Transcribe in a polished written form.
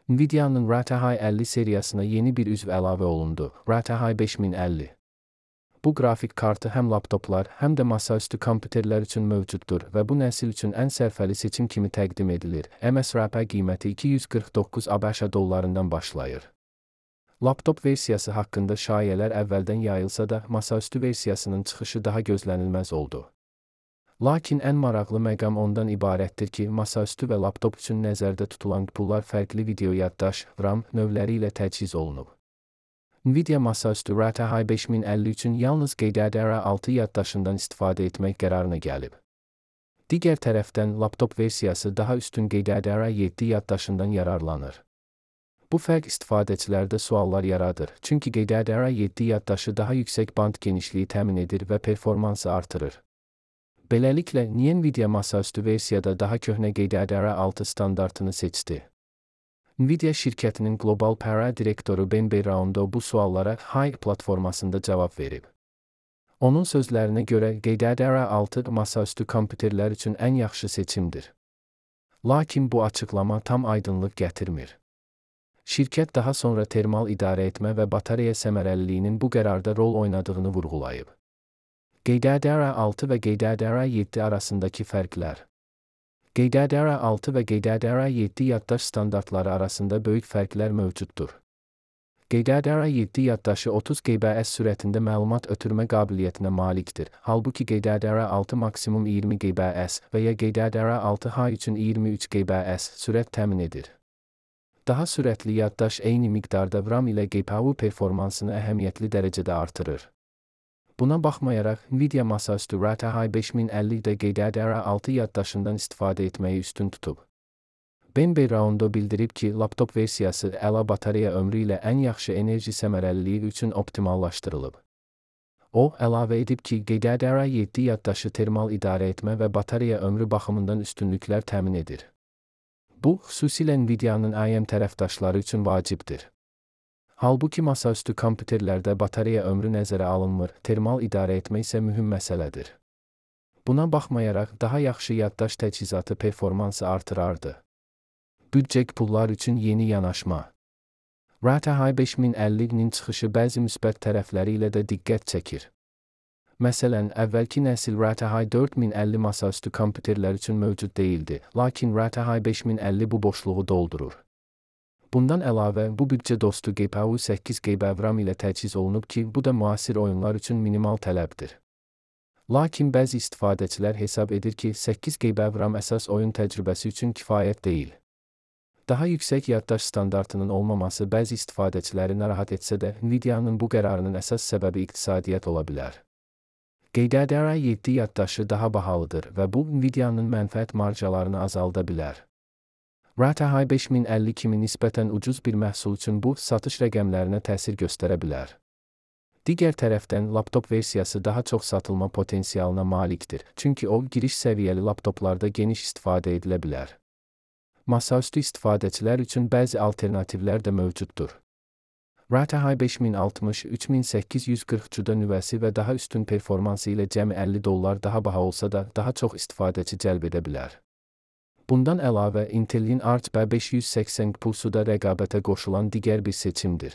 Nvidia'nın RTX 50 seriyasına yeni bir üzv əlavə olundu, RTX 5050. Bu qrafik kartı həm laptoplar, həm də masaüstü kompüterlər üçün mövcuddur və bu nəsil üçün ən sərfəli seçim kimi təqdim edilir. MSRP qiyməti 249 ABŞ dollarından başlayır. Laptop versiyası haqqında şayələr əvvəldən yayılsa da, masaüstü versiyasının çıxışı daha gözlənilməz oldu. Lakin ən maraqlı məqam ondan ibarətdir ki, masaüstü və laptop üçün nəzərdə tutulan pullar fərqli video yaddaş, RAM növləri ilə təchiz olunub. Nvidia masaüstü RTX 5050 üçün yalnız GDDR6 yaddaşından istifadə etmək qərarına gəlib. Digər tərəfdən, laptop versiyası daha üstün GDDR7 yaddaşından yararlanır. Bu fərq istifadəçilərdə suallar yaradır, çünki GDDR7 yaddaşı daha yüksək band genişliyi təmin edir və performansı artırır. Beləliklə, niyə Nvidia masaüstü versiyada daha köhnə GDDR6 standartını seçdi? Nvidia şirkətinin qlobal PR direktoru Ben Beyrondo bu suallara Hive platformasında cavab verib. Onun sözlərinə görə GDDR6 masaüstü kompüterlər üçün ən yaxşı seçimdir. Lakin bu açıqlama tam aydınlıq gətirmir. Şirkət daha sonra termal idarə etmə və batareya səmərəliliyinin bu qərarda rol oynadığını vurğulayıb. GDDR6 və GDDR7 arasındakı fərqlər. GDDR6 və GDDR7 yaddaş standartları arasında böyük fərqlər mövcuddur. GDDR7 yaddaşı 30 GB/s sürətində məlumat ötürmə qabiliyyətinə malikdir, halbuki GDDR6 maksimum 20 GB/s və ya GDDR6H üçün 23 GB/s sürət təmin edir. Daha sürətli yaddaş eyni miqdarda RAM ilə GPU performansını əhəmiyyətli dərəcədə artırır. Buna baxmayaraq, Nvidia masaüstü RTX 5050-də GDDR6 yaddaşından istifadə etməyi üstün tutub. Ben Beyrondo bildirib ki, laptop versiyası əla batareya ömrü ilə ən yaxşı enerji səmərəliliyi üçün optimallaşdırılıb. O, əlavə edib ki, GDDR7 yaddaşı termal idarə etmə və batareya ömrü baxımından üstünlüklər təmin edir. Bu, xüsusilə Nvidia'nın AM tərəfdaşları üçün vacibdir. Halbuki masaüstü kompüterlərdə batareya ömrü nəzərə alınmır, termal idarə etmə isə mühüm məsələdir. Buna baxmayaraq, daha yaxşı yaddaş təchizatı performansı artırardı. Büdcək pullar üçün yeni yanaşma. RTX 5050-nin çıxışı bəzi müsbət tərəfləri ilə də diqqət çəkir. Məsələn, əvvəlki nəsil RTX 4050 masaüstü kompüterlər üçün mövcud deyildi, lakin RTX 5050 bu boşluğu doldurur. Bundan əlavə, bu büdcə dostu GPU 8 GB RAM ilə təchiz olunub ki, bu da müasir oyunlar üçün minimal tələbdir. Lakin bəzi istifadəçilər hesab edir ki, 8 GB RAM əsas oyun təcrübəsi üçün kifayət deyil. Daha yüksək yaddaş standartının olmaması bəzi istifadəçiləri narahat etsə də, Nvidia'nın bu qərarının əsas səbəbi iqtisadiyyat ola bilər. GDDR7 yaddaşı daha bahalıdır və bu, Nvidia'nın mənfəət marjalarını azalda bilər. RTX 5050 kimi nisbətən ucuz bir məhsul üçün bu, satış rəqəmlərinə təsir göstərə bilər. Digər tərəfdən, laptop versiyası daha çox satılma potensialına malikdir, çünki o, giriş səviyyəli laptoplarda geniş istifadə edilə bilər. Masaüstü istifadəçilər üçün bəzi alternativlər də mövcuddur. RTX 5060 3840 CUDA nüvəsi və daha üstün performansı ilə cəmi $50 daha baha olsa da, daha çox istifadəçi cəlb edə bilər. Bundan əlavə, Intel'in Arch B580 Pulsu da rəqabətə qoşulan digər bir seçimdir.